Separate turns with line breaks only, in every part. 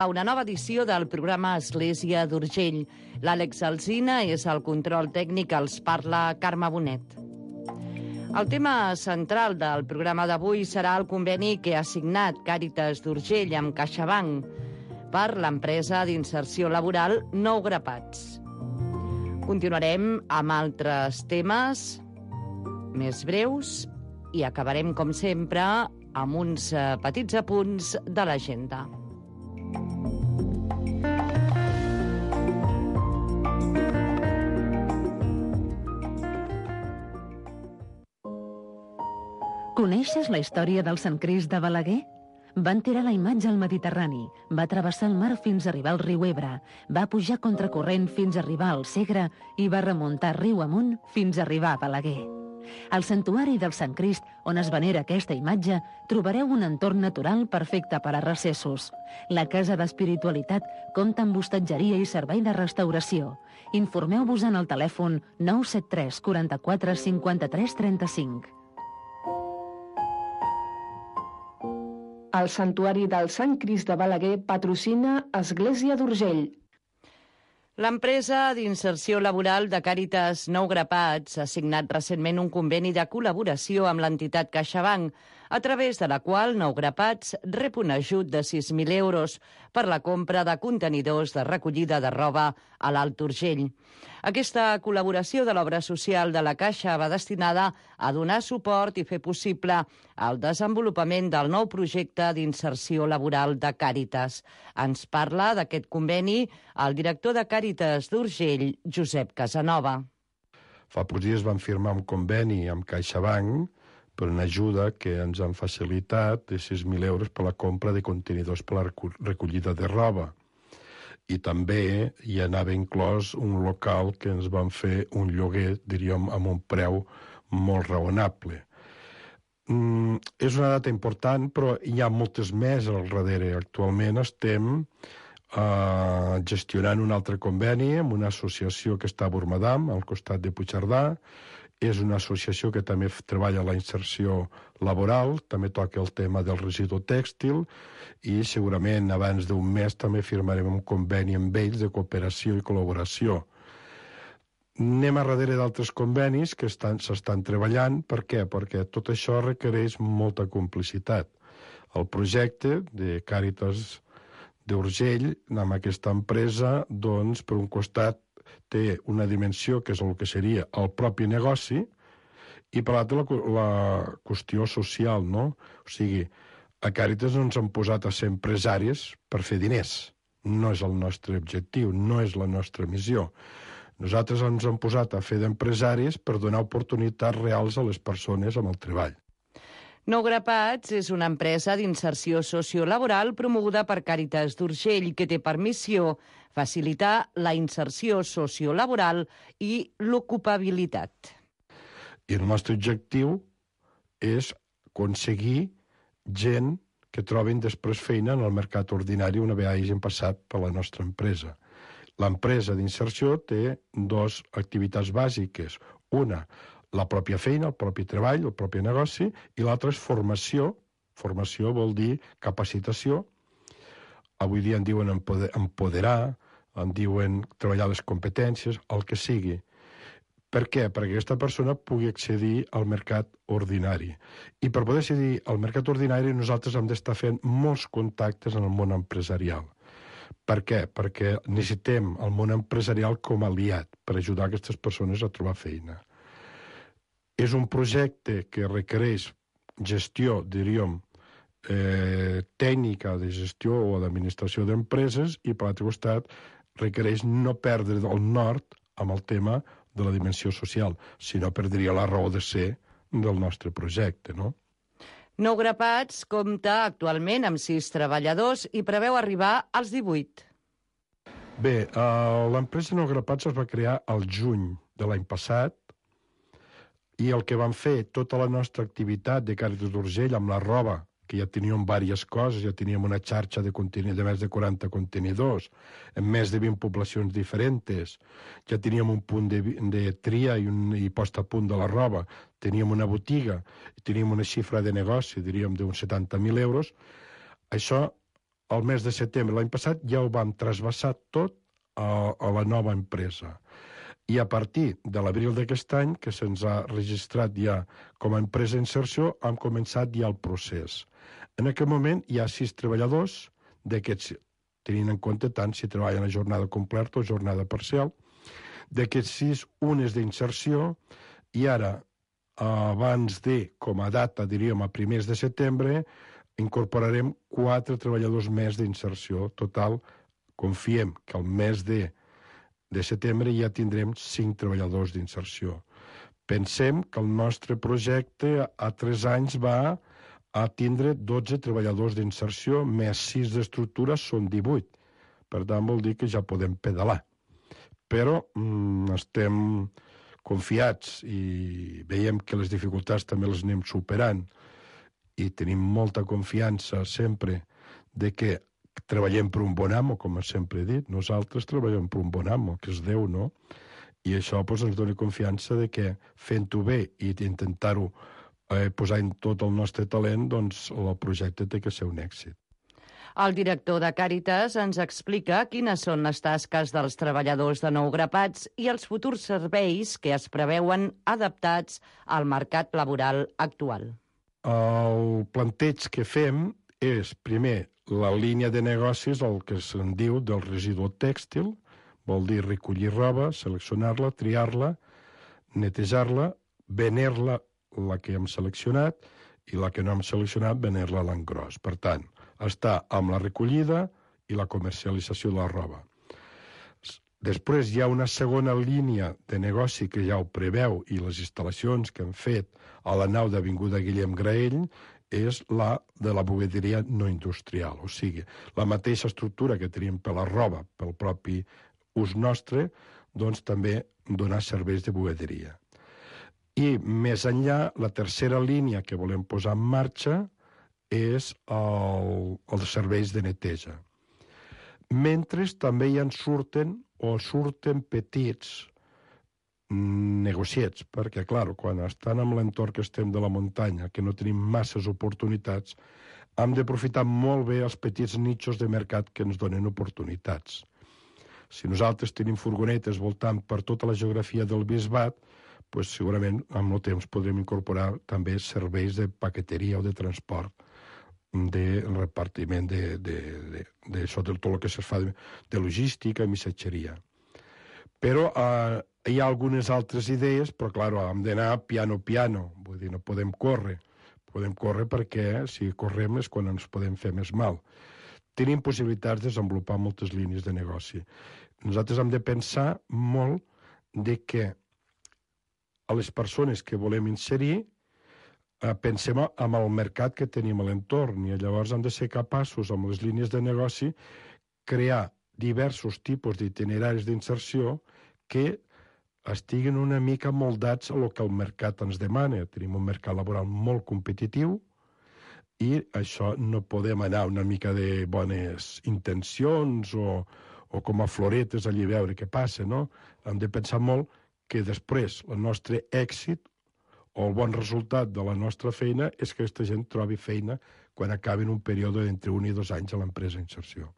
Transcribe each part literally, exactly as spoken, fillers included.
A una nova edició del programa Església d'Urgell. L'Àlex Alsina és el control tècnic, els parla Carme Bonet. El tema central del programa d'avui serà el conveni que ha signat Càritas d'Urgell amb CaixaBank per l'empresa d'inserció laboral Nou Grapats. Continuarem amb altres temes més breus i acabarem, com sempre, amb uns petits apunts de l'agenda.
Coneixes la història del Sant Crist de Balaguer? Van tirar la imatge al Mediterrani, va travessar el mar fins a arribar al riu Ebre, va pujar contracorrent fins a arribar al Segre i va remuntar riu amunt fins a arribar a Balaguer. Al santuari del Sant Crist, on es venera aquesta imatge, trobareu un entorn natural perfecte per a recessos. La Casa d'Espiritualitat compta amb hostatgeria i servei de restauració. Informeu-vos en el telèfon nou set tres quaranta-quatre cinquanta-tres trenta-cinc.
El Santuari del Sant Crist de Balaguer patrocina Església d'Urgell.
L'empresa d'inserció laboral de Càritas Nou Grapats ha signat recentment un conveni de col·laboració amb l'entitat CaixaBank, a través de la qual Nou Grapats rep un ajut de sis mil euros per la compra de contenidors de recollida de roba a l'Alt Urgell. Aquesta col·laboració de l'obra social de la Caixa va destinada a donar suport i fer possible el desenvolupament del nou projecte d'inserció laboral de Càritas. Ens parla d'aquest conveni el director de Càritas d'Urgell, Josep Casanova.
Fa pocs dies vam firmar un conveni amb CaixaBank per una ajuda que ens han facilitat de sis mil euros per la compra de contenidors per la recollida de roba. I també hi anava inclòs un local que ens van fer un lloguer, diríem, amb un preu molt raonable. Mm, és una data important, però hi ha moltes més al darrere. Actualment estem eh, gestionant un altre conveni amb una associació que està a Bormadam, al costat de Puigcerdà. És una associació que també treballa la inserció laboral, també toca el tema del residu tèxtil i segurament abans d'un mes també firmarem un conveni amb ells de cooperació i col·laboració. Anem a darrere d'altres convenis que s'estan treballant. Per què? Perquè tot això requereix molta complicitat. El projecte de Càritas d'Urgell amb aquesta empresa, doncs, per un costat, té una dimensió que és el que seria el propi negoci i per l'altre la, la qüestió social, no? O sigui, a Càritas no ens han posat a ser empresaris per fer diners. No és el nostre objectiu, no és la nostra missió. Nosaltres ens hem posat a fer d'empresaris per donar oportunitats reals a les persones amb el treball.
Nou Grapats és una empresa d'inserció sociolaboral promoguda per Càritas d'Urgell que té per missió facilitar la inserció sociolaboral i l'ocupabilitat.
I el nostre objectiu és aconseguir gent que trobin després feina en el mercat ordinari una vegada hagin passat per la nostra empresa. L'empresa d'inserció té dues activitats bàsiques. Una, la pròpia feina, el propi treball, el propi negoci, i l'altra és formació. Formació vol dir capacitació. Avui dia en diuen empoderar, en diuen treballar les competències, el que sigui. Per què? Perquè aquesta persona pugui accedir al mercat ordinari. I per poder accedir al mercat ordinari nosaltres hem d'estar fent molts contactes en el món empresarial. Per què? Perquè necessitem el món empresarial com a aliat per ajudar aquestes persones a trobar feina. És un projecte que requereix gestió, diríem, eh, tècnica de gestió o d'administració d'empreses i, per l'altre costat, requereix no perdre el nord amb el tema de la dimensió social, sinó perdria la raó de ser del nostre projecte, no?
Nou Grapats compta actualment amb sis treballadors i preveu arribar als divuit.
Bé, eh, l'empresa Nou Grapats es va crear al juny de l'any passat i el que vam fer, tota la nostra activitat de Càritas d'Urgell amb la roba, que ja teníem diverses coses, ja teníem una xarxa de, de més de quaranta contenidors, en més de vint poblacions diferents, ja teníem un punt de, de tria i, un, i posta a punt de la roba, teníem una botiga, teníem una xifra de negoci, diríem, d'uns setanta mil euros. Això al mes de setembre l'any passat ja ho vam trasbassar tot a, a la nova empresa. I a partir de l'abril d'aquest any, que se'ns ha registrat ja com a empresa d'inserció, hem començat ja el procés. En aquest moment hi ha sis treballadors, d'aquests, tenint en compte tant si treballen a jornada completa o jornada parcial. D'aquests sis, un és d'inserció, i ara, abans de, com a data, diríem, a primers de setembre, incorporarem quatre treballadors més d'inserció. Total, confiem que al mes de, de setembre ja tindrem cinc treballadors d'inserció. Pensem que el nostre projecte a tres anys va a tindre dotze treballadors d'inserció, més sis d'estructura, són divuit. Per tant, vol dir que ja podem pedalar. Però mm, estem confiats i veiem que les dificultats també les anem superant i tenim molta confiança sempre de que treballem per un bon amo, com sempre he dit. Nosaltres treballem per un bon amo, que és Déu, no? I això pues, ens dona confiança de que fent-ho bé i intentar-ho eh, posar en tot el nostre talent, doncs el projecte té que ser un èxit.
El director de Càritas ens explica quines són les tasques dels treballadors de Nou Grapats i els futurs serveis que es preveuen adaptats al mercat laboral actual.
El planteig que fem és, primer, la línia de negocis, el que se'n diu del residu tèxtil, vol dir recollir roba, seleccionar-la, triar-la, netejar-la, venir-la, la que hem seleccionat, i la que no hem seleccionat, venir-la a l'engròs. Per tant, està amb la recollida i la comercialització de la roba. Després hi ha una segona línia de negoci que ja ho preveu i les instal·lacions que hem fet a la nau d'Avinguda Guillem Graell és la de la bugaderia no industrial. O sigui, la mateixa estructura que tenim per la roba, pel propi ús nostre, doncs també donar serveis de bugaderia. I més enllà, la tercera línia que volem posar en marxa és el, els serveis de neteja. Mentre també hi en surten o surten petits negociets, perquè, clar, quan estan en l'entorn que estem de la muntanya, que no tenim masses oportunitats, hem d'aprofitar molt bé els petits nichos de mercat que ens donen oportunitats. Si nosaltres tenim furgonetes voltant per tota la geografia del Bisbat, pues segurament amb el temps podrem incorporar també serveis de paqueteria o de transport, de repartiment de, de, de, de, de tot el que es fa de, de logística i missatgeria. Però eh, hi ha algunes altres idees, però clar, hem d'anar piano piano, vull dir, no podem córrer. Podem córrer perquè si correm és quan ens podem fer més mal. Tenim possibilitats de desenvolupar moltes línies de negoci. Nosaltres hem de pensar molt de que a les persones que volem inserir eh, pensem en el mercat que tenim a l'entorn i llavors hem de ser capaços, amb les línies de negoci, crear diversos tipus d'itineraris d'inserció que estiguin una mica moldats a el que el mercat ens demana. Tenim un mercat laboral molt competitiu i això no podem anar una mica de bones intencions o, o com a floretes allí a veure què passa, no? Hem de pensar molt que després el nostre èxit o el bon resultat de la nostra feina és que aquesta gent trobi feina quan acabi un període d'entre un i dos anys a l'empresa d'inserció.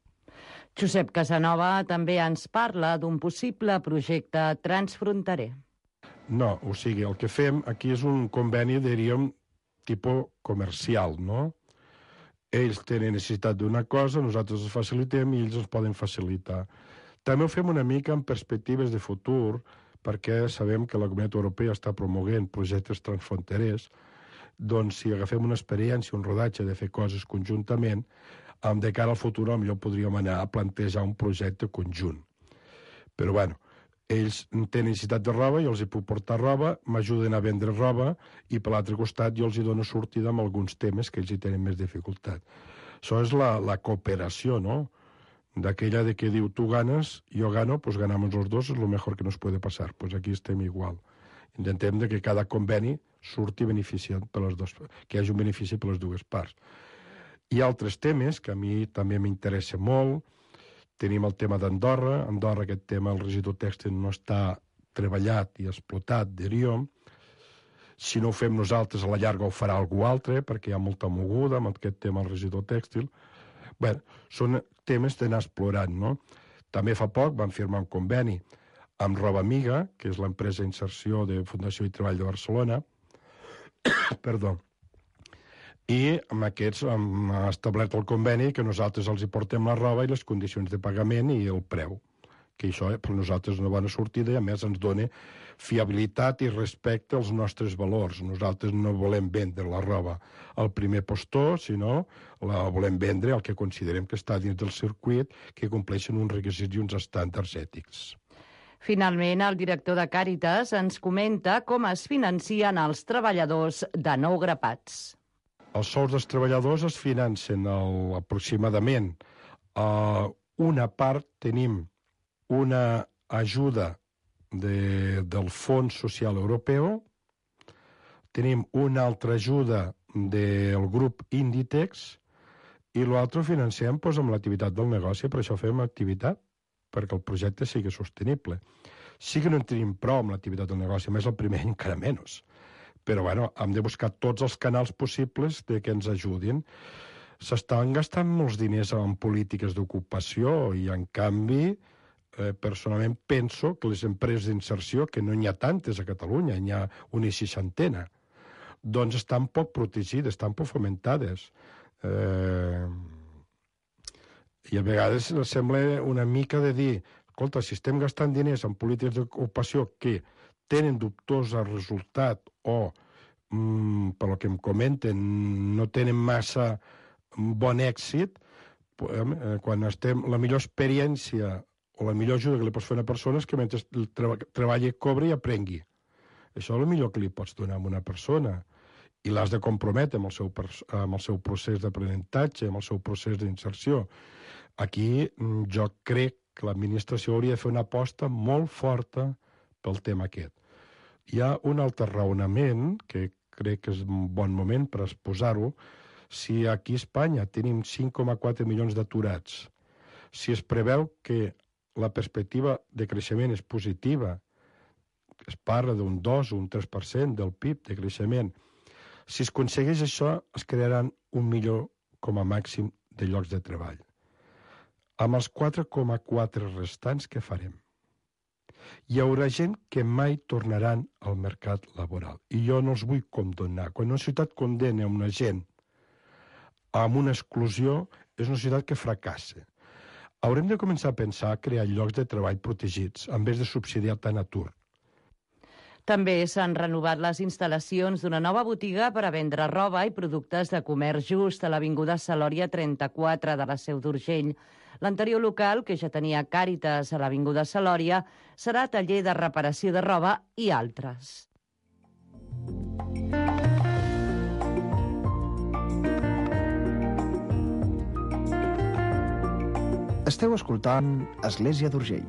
Josep Casanova també ens parla d'un possible projecte transfronterer.
No, o sigui, el que fem aquí és un conveni, diríem, tipus comercial, no? Ells tenen necessitat d'una cosa, nosaltres els facilitem i ells ens poden facilitar. També ho fem una mica en perspectives de futur, perquè sabem que la Comunitat Europea està promoguent projectes transfronterers, doncs si agafem una experiència, un rodatge de fer coses conjuntament, de cara al futur potser podríem anar a plantejar un projecte conjunt. Però bueno, ells tenen necessitat de roba, jo els hi puc portar roba, m'ajuden a vendre roba i per l'altre costat jo els hi dono sortida amb alguns temes que ells hi tenen més dificultat. Això és la, la cooperació, no? D'aquella de que diu, tu ganes, jo gano, pues ganamos los dos, és lo mejor que nos puede pasar. Pues aquí estem igual. Intentem de que cada conveni surti beneficiat per les dues, que hi hagi un benefici per les dues parts. Hi ha altres temes que a mi també m'interessa molt. Tenim el tema d'Andorra. Andorra, aquest tema, el residu tèxtil no està treballat i explotat, diríem. Si no ho fem nosaltres, a la llarga ho farà algú altre, perquè hi ha molta moguda amb aquest tema del residu tèxtil. Bé, són temes d'anar explorant, no? També fa poc vam firmar un conveni amb Roba Amiga, que és l'empresa d'inserció de Fundació i Treball de Barcelona, perdó, i amb aquests hem establert el conveni que nosaltres els hi portem la roba i les condicions de pagament i el preu, que això per nosaltres és una bona sortida i a més ens dona fiabilitat i respecte als nostres valors. Nosaltres no volem vendre la roba al primer postor, sinó la volem vendre al que considerem que està dins del circuit, que compleixen uns requisits i uns estàndards ètics.
Finalment, el director de Càritas ens comenta com es financien els treballadors de Nou Grapats.
Els sous dels treballadors es financen el, aproximadament. Uh, una part tenim una ajuda de, del Fons Social Europeu, tenim una altra ajuda del grup Inditex i l'altre ho financem doncs, amb l'activitat del negoci, per això fem activitat, perquè el projecte sigui sostenible. Sí que no en tenim prou amb l'activitat del negoci, a més el primer encara menys. Però bueno, hem de buscar tots els canals possibles de que ens ajudin. S'estan gastant molts diners en polítiques d'ocupació i, en canvi, eh, personalment penso que les empreses d'inserció, que no n'hi ha tantes a Catalunya, n'hi ha una seixantena, doncs estan poc protegides, estan poc fomentades. Eh... I a vegades sembla una mica de dir, escolta, si estem gastant diners en polítiques d'ocupació que tenen dubtós resultat o, mm, per lo que em comenten, no tenen massa bon èxit, eh, quan estem, la millor experiència o la millor ajuda que li pots fer a una persona és que mentre treballi, cobri i aprengui. Això és el millor que li pots donar a una persona. I l'has de comprometre amb el seu, amb el seu procés d'aprenentatge, amb el seu procés d'inserció. Aquí jo crec que l'administració hauria de fer una aposta molt forta pel tema aquest. Hi ha un altre raonament, que crec que és un bon moment per exposar-ho. Si aquí a Espanya tenim cinc coma quatre milions d'aturats, si es preveu que la perspectiva de creixement és positiva, es parla d'un dos o un tres per cent del P I B de creixement, si es aconsegueix això, es crearan un milió com a màxim de llocs de treball. Amb els quatre coma quatre restants, què farem? Hi haurà gent que mai tornaran al mercat laboral. I jo no els vull condonar. Quan una societat condena una gent amb una exclusió, és una societat que fracassa. Haurem de començar a pensar a crear llocs de treball protegits, en vez de subsidiar tant atur.
També s'han renovat les instal·lacions d'una nova botiga per a vendre roba i productes de comerç just a l'Avinguda Salòria trenta-quatre de la Seu d'Urgell. L'anterior local, que ja tenia Càritas a l'Avinguda Salòria, serà taller de reparació de roba i altres.
Esteu escoltant Església d'Urgell.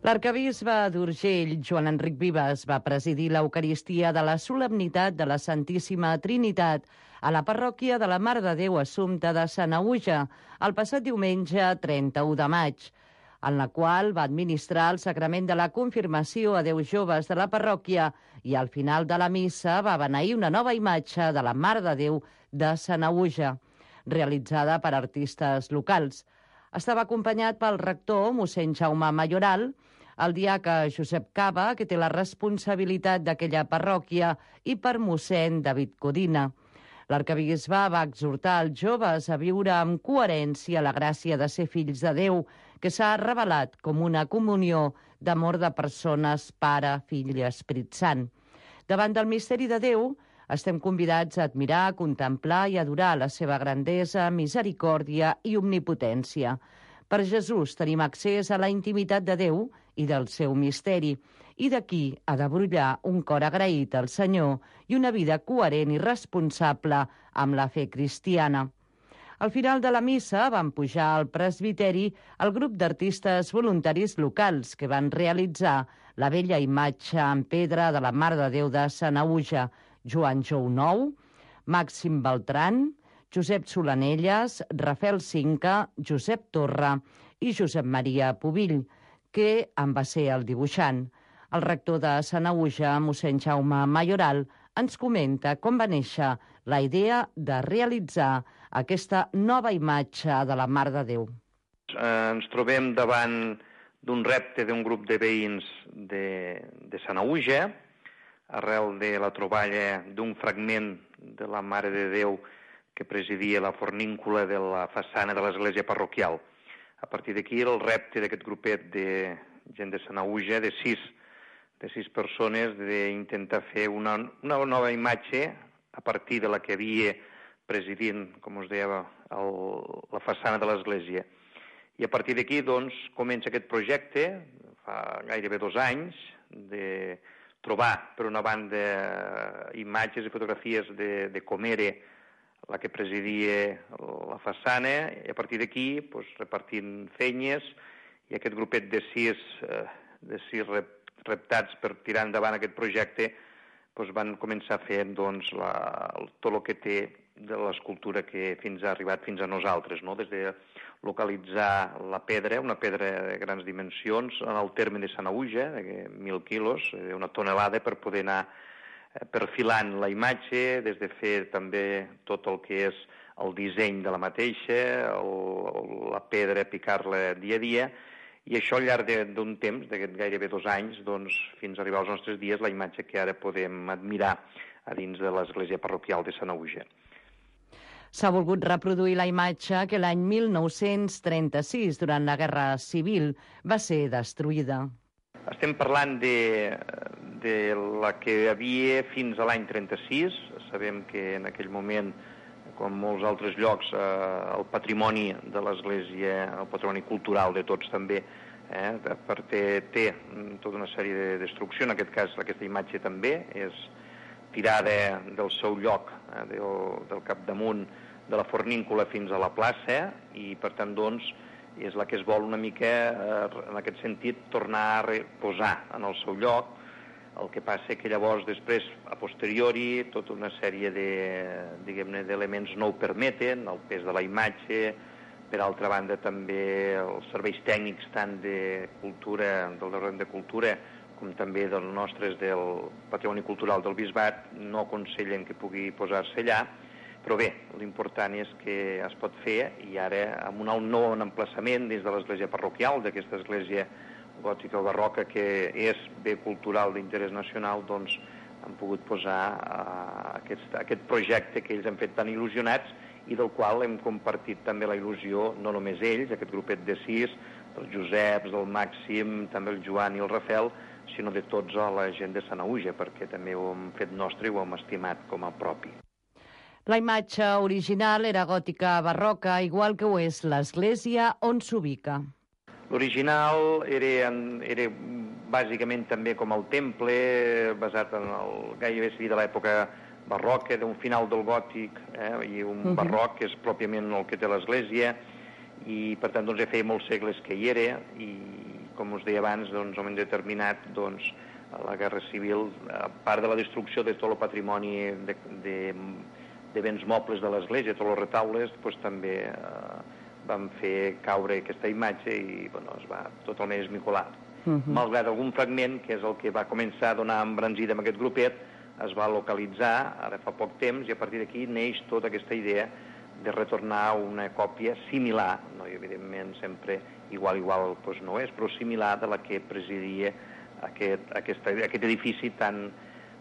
L'arquebisbe d'Urgell, Joan Enric Vives, va presidir l'Eucaristia de la Solemnitat de la Santíssima Trinitat a la parròquia de la Mare de Déu Assumpta de Sanaüja el passat diumenge trenta-u de maig, en la qual va administrar el sacrament de la confirmació a deu joves de la parròquia i al final de la missa va beneir una nova imatge de la Mare de Déu de Sanaüja, realitzada per artistes locals. Estava acompanyat pel rector, mossèn Jaume Mayoral, el diaca Josep Cava, que té la responsabilitat d'aquella parròquia, i per mossèn David Codina. L'arquebisbe va exhortar els joves a viure amb coherència la gràcia de ser fills de Déu, que s'ha revelat com una comunió d'amor de persones, Pare, Fill i Esperit Sant. Davant del misteri de Déu, estem convidats a admirar, contemplar i adorar la seva grandesa, misericòrdia i omnipotència. Per Jesús tenim accés a la intimitat de Déu i del seu misteri, i d'aquí ha de brollar un cor agraït al Senyor i una vida coherent i responsable amb la fe cristiana. Al final de la missa van pujar al presbiteri el grup d'artistes voluntaris locals que van realitzar la bella imatge en pedra de la Mare de Déu de Sanaüja, Joan Jounou, Màxim Beltran, Josep Solanelles, Rafael Cinca, Josep Torra i Josep Maria Pubill, que en va ser el dibuixant. El rector de Sanaüja, mossèn Jaume Mayoral, ens comenta com va néixer la idea de realitzar aquesta nova imatge de la Mare de Déu.
Ens trobem davant d'un repte d'un grup de veïns de, de Sanaüja, arrel de la troballa d'un fragment de la Mare de Déu que presidia la forníncula de la façana de l'església parroquial. A partir d'aquí, el repte d'aquest grupet de gent de Sanaüja, de sis, de sis persones, d'intentar fer una, una nova imatge a partir de la que havia presidint, com us deia, el, la façana de l'església. I a partir d'aquí, doncs, comença aquest projecte, fa gairebé dos anys, de trobar, per una banda, imatges i fotografies de, de com era la que presidia la façana, i a partir d'aquí, doncs, repartint feines, i aquest grupet de sis, eh, de sis reptats per tirar endavant aquest projecte, doncs, van començar fent doncs, la, tot el que té de l'escultura que fins ha arribat fins a nosaltres, no? Des de localitzar la pedra, una pedra de grans dimensions, en el terme de Sanaüja, de mil quilos, una tonelada, per poder anar perfilant la imatge, des de fer també tot el que és el disseny de la mateixa, el, la pedra, picar-la dia a dia, i això al llarg d'un temps, d'aquest gairebé dos anys, doncs, fins a arribar als nostres dies, la imatge que ara podem admirar a dins de l'església parroquial de Sanaüja.
S'ha volgut reproduir la imatge que l'any mil nou-cents trenta-sis, durant la Guerra Civil, va ser destruïda.
Estem parlant de, de la que hi havia fins a l'any trenta-sis. Sabem que en aquell moment, com molts altres llocs, eh, el patrimoni de l'església, el patrimoni cultural de tots també, eh, té, té tota una sèrie de destrucció. En aquest cas, aquesta imatge també és tirada del seu lloc, eh, del, del capdamunt de la forníncula fins a la plaça, i per tant, doncs, és la que es vol una mica, eh, en aquest sentit, tornar a reposar en el seu lloc. El que passa que llavors, després, a posteriori, tota una sèrie de, diguem-ne, d'elements no ho permeten, el pes de la imatge, per altra banda també els serveis tècnics tant de cultura, del Departament de Cultura, com també dels nostres del Patrimoni Cultural del Bisbat, no aconsellen que pugui posar-se allà, però bé, l'important és que es pot fer, i ara amb un nou emplaçament dins de l'església parroquial, d'aquesta església gòtica o barroca que és bé cultural d'interès nacional, doncs han pogut posar uh, aquest, aquest projecte que ells han fet tan il·lusionats i del qual hem compartit també la il·lusió, no només ells, aquest grupet de sis, dels Joseps, del Màxim, també el Joan i el Rafel, sinó de tots a la gent de Sanaüja, perquè també ho hem fet nostre i ho hem estimat com a propi.
La imatge original era gòtica barroca, igual que ho és l'església on s'ubica.
L'original era, era bàsicament també com el temple, basat en el gairebé de l'època barroca, d'un final del gòtic, eh, i un uh-huh. barroc que és pròpiament el que té l'església, i per tant doncs, ja feia molts segles que hi era, i com us deia abans, doncs, hem determinat doncs, la Guerra Civil, a part de la destrucció de tot el patrimoni de, de, de béns mobles de l'església, tots els retaules, doncs, també eh, vam fer caure aquesta imatge i bueno, es va totalment esmicolar. Uh-huh. Malgrat algun fragment, que és el que va començar a donar embranzida amb aquest grupet, es va localitzar ara fa poc temps, i a partir d'aquí neix tota aquesta idea de retornar una còpia similar, no, i evidentment sempre igual, igual doncs no és, però similar de la que presidia aquest, aquest, aquest edifici tan,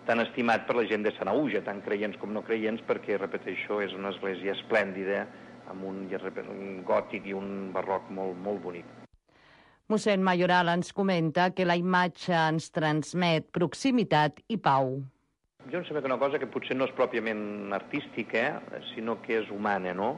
tan estimat per la gent de Sanaüja, tant creients com no creients, perquè, repeteixo, és una església esplèndida, amb un, un gòtic i un barroc molt, molt bonic.
Mossèn Mayoral ens comenta que la imatge ens transmet proximitat i pau.
Jo em sembla que una cosa que potser no és pròpiament artística, sinó que és humana, no?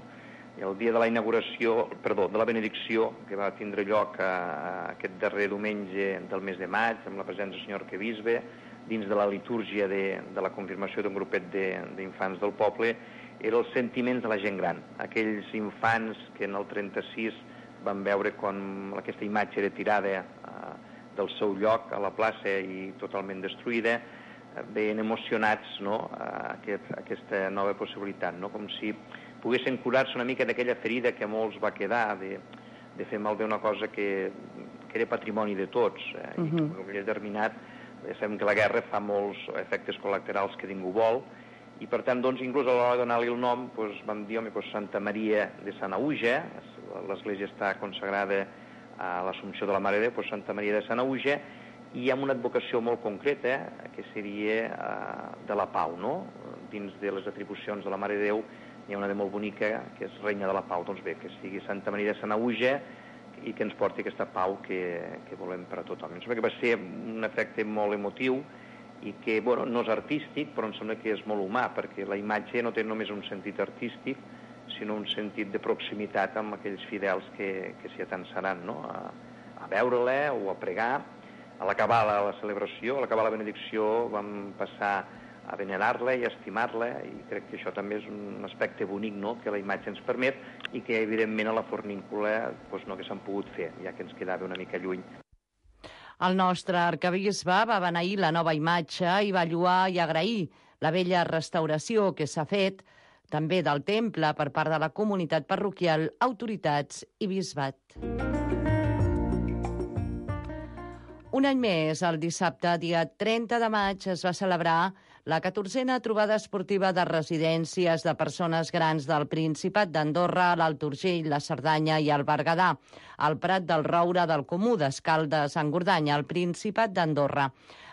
I el dia de la inauguració, perdó, de la benedicció, que va tindre lloc a, a aquest darrer diumenge del mes de maig, amb la presència del senyor arquebisbe, dins de la litúrgia de, de la confirmació d'un grupet d'infants de, del poble, eren els sentiments de la gent gran. Aquells infants que en el trenta-sis van veure com aquesta imatge era tirada uh, del seu lloc a la plaça i totalment destruïda, veien emocionats, no, a aquest, a aquesta nova possibilitat, no? Com si poguessin curar-se una mica d'aquella ferida que a molts va quedar, de, de fer malbé una cosa que, que era patrimoni de tots, eh? Uh-huh. I que havia determinat ja sabem que la guerra fa molts efectes col·laterals que ningú vol, i per tant, doncs, inclús a l'hora de donar-li el nom, doncs, vam dir, home, doncs, Santa Maria de Sanaüja, l'església està consagrada a l'Assumpció de la Mare de Déu, doncs Santa Maria de Sanaüja, i amb una advocació molt concreta, que seria eh, de la pau, no? Dins de les atribucions de la Mare de Déu hi ha una de molt bonica, que és Reina de la Pau. Doncs bé, que sigui Santa Maria de Sanaüja i que ens porti aquesta pau que, que volem per a tothom. Em sembla que va ser un efecte molt emotiu, i que, bueno, no és artístic, però em sembla que és molt humà, perquè la imatge no té només un sentit artístic, sinó un sentit de proximitat amb aquells fidels que, que s'hi atansaran, no? a, a veure-la o a pregar. A l'acabar la, la celebració, a l'acabar la benedicció, vam passar a venerar-la i a estimar-la, i crec que això també és un aspecte bonic, no?, que la imatge ens permet, i que, evidentment, a la fornícula doncs, no que s'han pogut fer, ja que ens quedava una mica lluny.
El nostre arquebisbe va beneir la nova imatge i va lloar i agrair la bella restauració que s'ha fet també del temple per part de la comunitat parroquial, autoritats i bisbat. Un any més, el dissabte, dia trenta de maig, es va celebrar la catorzena trobada esportiva de residències de persones grans del Principat d'Andorra, l'Alt Urgell, la Cerdanya i el Berguedà, al Prat del Roure del Comú d'Escaldes, en Gordanya, al Principat d'Andorra,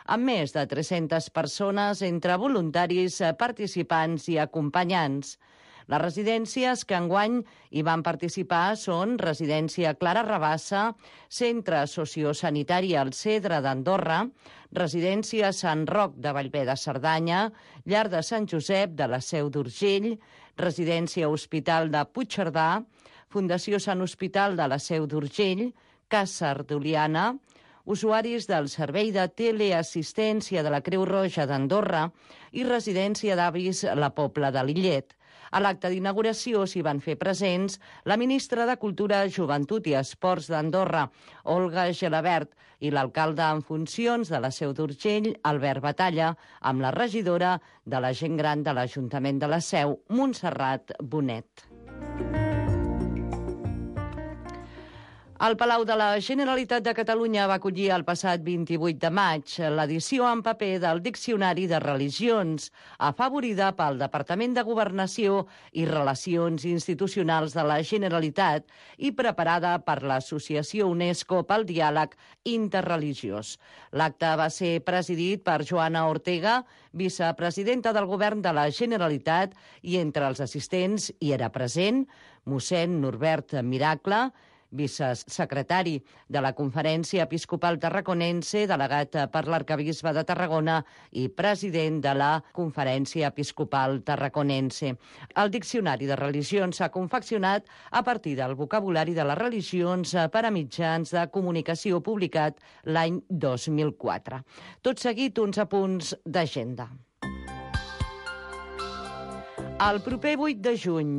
amb més de tres-centes persones entre voluntaris, participants i acompanyants. Les residències que enguany hi van participar són Residència Clara Rabassa, Centre Sociosanitari El Cedre d'Andorra, Residència Sant Roc de Bellver de Cerdanya, Llar de Sant Josep de la Seu d'Urgell, Residència Hospital de Puigcerdà, Fundació Sant Hospital de la Seu d'Urgell, Casa d'Oliana, usuaris del Servei de Teleassistència de la Creu Roja d'Andorra i Residència d'Avis La Pobla de Lillet. A l'acte d'inauguració s'hi van fer presents la ministra de Cultura, Joventut i Esports d'Andorra, Olga Gelabert, i l'alcalde en funcions de la Seu d'Urgell, Albert Batalla, amb la regidora de la gent gran de l'Ajuntament de la Seu, Montserrat Bonet. El Palau de la Generalitat de Catalunya va acollir el passat vint-i-vuit de maig l'edició en paper del Diccionari de Religions, afavorida pel Departament de Governació i Relacions Institucionals de la Generalitat i preparada per l'Associació UNESCO pel Diàleg Interreligiós. L'acte va ser presidit per Joana Ortega, vicepresidenta del Govern de la Generalitat, i entre els assistents hi era present mossèn Norbert Miracle, vicesecretari de la Conferència Episcopal Tarraconense, delegat per l'arquebisbe de Tarragona i president de la Conferència Episcopal Tarraconense. El Diccionari de Religions s'ha confeccionat a partir del vocabulari de les religions per a mitjans de comunicació publicat l'any dos mil quatre. Tot seguit, uns apunts d'agenda. El proper vuit de juny,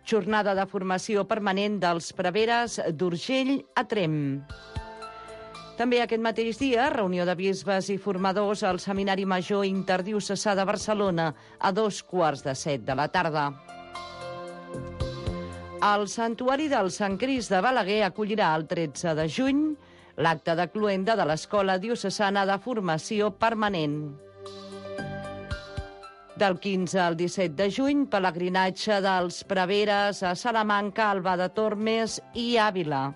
jornada de formació permanent dels preveres d'Urgell a Tremp. També aquest mateix dia, reunió de bisbes i formadors al Seminari Major Interdiocesà de Barcelona a dos quarts de set de la tarda. El Santuari del Sant Crist de Balaguer acollirà el tretze de juny l'acte de cloenda de l'Escola Diocesana de Formació Permanent. Del quinze al disset de juny, pelegrinatge dels preveres a Salamanca, Alba de Tormes i Àvila.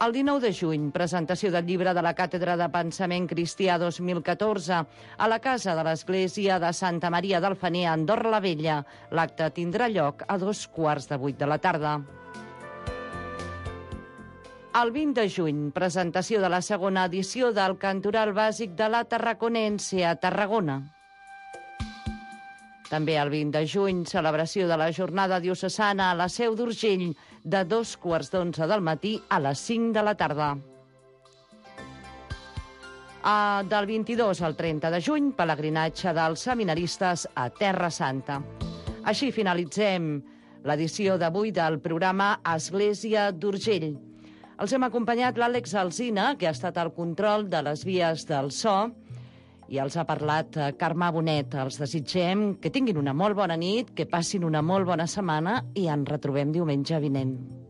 El dinou de juny, presentació del llibre de la Càtedra de Pensament Cristià dos mil catorze a la Casa de l'Església de Santa Maria del Fener, a Andorra la Vella. L'acte tindrà lloc a dos quarts de vuit de la tarda. El vint de juny, presentació de la segona edició del Cantoral Bàsic de la Tarraconense a Tarragona. També el vint de juny, celebració de la jornada diocesana a la Seu d'Urgell de dos quarts d'onze del matí a les cinc de la tarda. Uh, del vint-i-dos al trenta de juny, pelegrinatge dels seminaristes a Terra Santa. Així finalitzem l'edició d'avui del programa Església d'Urgell. Els hem acompanyat l'Àlex Alsina, que ha estat al control de les vies del so, i els ha parlat Carme Bonet. Els desitgem que tinguin una molt bona nit, que passin una molt bona setmana i ens retrobem diumenge vinent.